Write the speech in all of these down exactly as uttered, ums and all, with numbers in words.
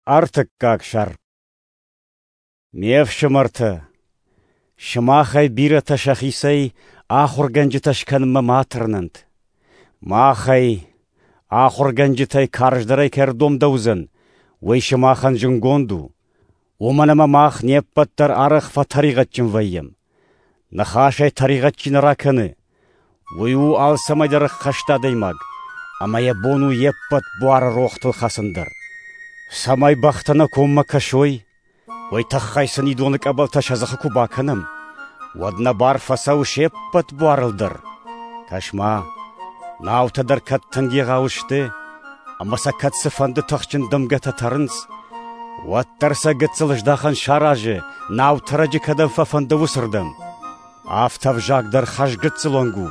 Ӕртыккаг сӕр. Ме фсымӕртӕ, сымахӕй бирӕтӕ сӕхицӕй ахуыргӕнджытӕ скӕнынмӕ ма тырнӕнт. Махӕй, ахуыргӕнджытӕй карздӕрӕй кӕй ӕрдомдӕуыдзӕн, уый сымахӕн зынгонд у. Уымӕн ӕмӕ мах не ппӕт дӕр арӕх фӕтӕригъӕдджын вӕййӕм. Ныхасӕй тӕригъӕд чи нӕ ракӕны, уый у алцӕмӕй дӕр ӕххӕст адӕймаг, ӕмӕ йӕ бон у йе ппӕт буары рохтыл хӕцын дӕр. Цӕмӕй бӕхтӕ нӕ коммӕ кӕсой, уый тыххӕй сын идоны къӕбӕлтӕ сӕ дзыхы куы бакӕнӕм, уӕд нӕ бар фӕцӕуы се ппӕт буарыл дӕр. Кӕс-ма, наутӕ дӕр кӕд тынг егъау сты, ӕмӕ сӕ кӕд цыфӕнды тыхджын дымгӕтӕ тӕрынц, уӕддӕр сӕ гыццыл здахӕн саразы, наутӕрӕджы кӕдӕм фӕфӕнды, уыцырдӕм. Афтӕ ӕвзаг дӕр хӕрзгыццыл онг у,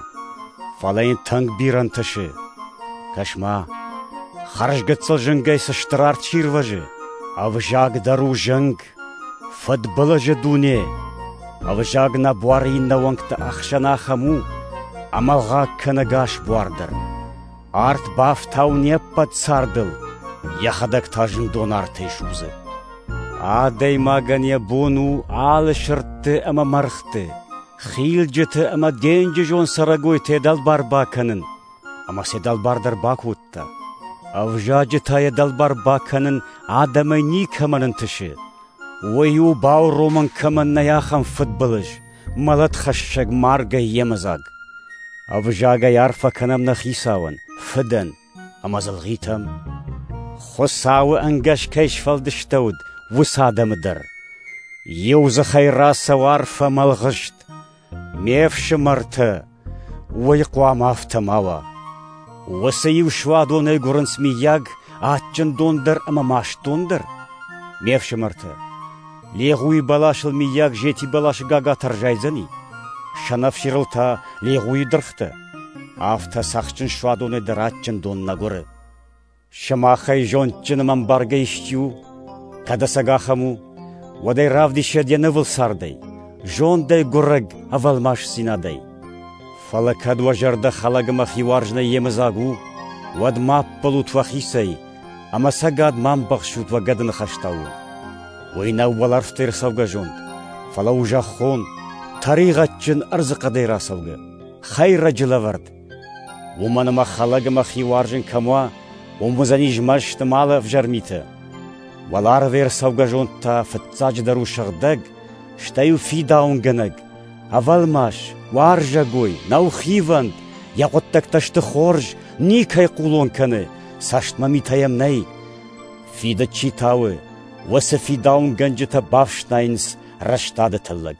фӕлӕ йын тынг бирӕ ӕнтысы. Кӕс-ма, хӕрзгыццыл зынгӕй цы стыр арт сирвӕзы, ӕвзаг дӕр у зынг, фыдбылызы дуне. Ӕвзаг нӕ буары иннӕ уӕнгты ӕхсӕн ахӕм у, ӕмӕ ӕлгъаг кӕны ӕгас буар дӕр. Арт бафтауы не ппӕт цардыл, йӕхӕдӕг та зындон артӕй судзы. Адӕймагӕн йӕ бон у алы сырдты ӕмӕ мӕргъты, хилджыты ӕмӕ денджызон цӕрӕгойты йӕ дӕлбар бакӕнын, ӕмӕ сӕ дӕлбар дӕр бакодта. Ӕвзаджы та йӕ дӕлбар бакӕнын адӕмӕй никӕмӕн ӕнтысы. Уый у бауромӕн кӕмӕн нӕй, ахӕм фыдбылыз, мӕлӕтхӕссӕг маргӕй йемыдзаг. Ӕвзагӕй арфӕ кӕнӕм нӕ Хицауӕн, Фыдӕн ӕмӕ дзы лгъитӕм. Хуыцауы ӕнгӕс кӕй сфӕлдыстӕуыд, уыцы адӕмы дӕр. Иу дзыхӕй рацӕуы арфӕ ӕмӕ ӕлгъыст. Ме фсымӕртӕ, уый хъуамӕ афтӕ ма уа. Уыцы иу суадонӕй гуырынц миййаг адджын дон дӕр ӕмӕ маст дон дӕр? Ме фсымӕртӕ, легъуйы бӕласыл миййаг зети бӕласы гагатӕ ӕрзайдзӕни, сӕнӕфсирыл та легъуйы дыргътӕ. Афтӕ цӕхджын суадонӕй дӕр адджын дон нӕ гуыры. Сымахӕй зондджын ӕмӕ ӕмбаргӕ исчи у, кӕд ӕцӕг ахӕм у, уӕд ӕй равдисӕд йӕ нывыл цардӕй, зондӕй гуырӕг ӕвӕлмасдзинадӕй. Фӕлӕ кӕд уӕ зӕрдӕ хӕлӕг ӕмӕ хиуарзынӕй йемыдзаг у, уӕд ма ӕппӕлут уӕхицӕй, ӕмӕ ӕцӕгад ма ӕмбӕхсут уӕ гӕдыныхӕстау. Уый нӕу уӕлӕрвтӕй ӕрцӕугӕ зонд, фӕлӕ у зӕххон, тӕригъӕдджын ӕрдзыхъӕдӕй рацӕугӕ, хӕйрӕджы лӕвӕрд. Уымӕн ӕмӕ хӕлӕг ӕмӕ хиуарзын кӕм уа, уым уыдзӕни змӕст ӕмӕ алы ӕвзӕр митӕ. Уӕларвӕй ӕрцӕугӕ зонд та фыццаджыдӕр у сыгъдӕг, стӕй у фидауынгӕнӕг, ӕвӕлмас, уарзӕгой, нӕу хивӕнд, йӕ хъуыддӕгтӕ сты хорз, никӕй хъулон кӕны, цӕстмӕ митӕ йӕм нӕй. Фидыд чи тауы, уыцы фидауынгӕнджытӕ бафснайынц рӕстады тыллӕг.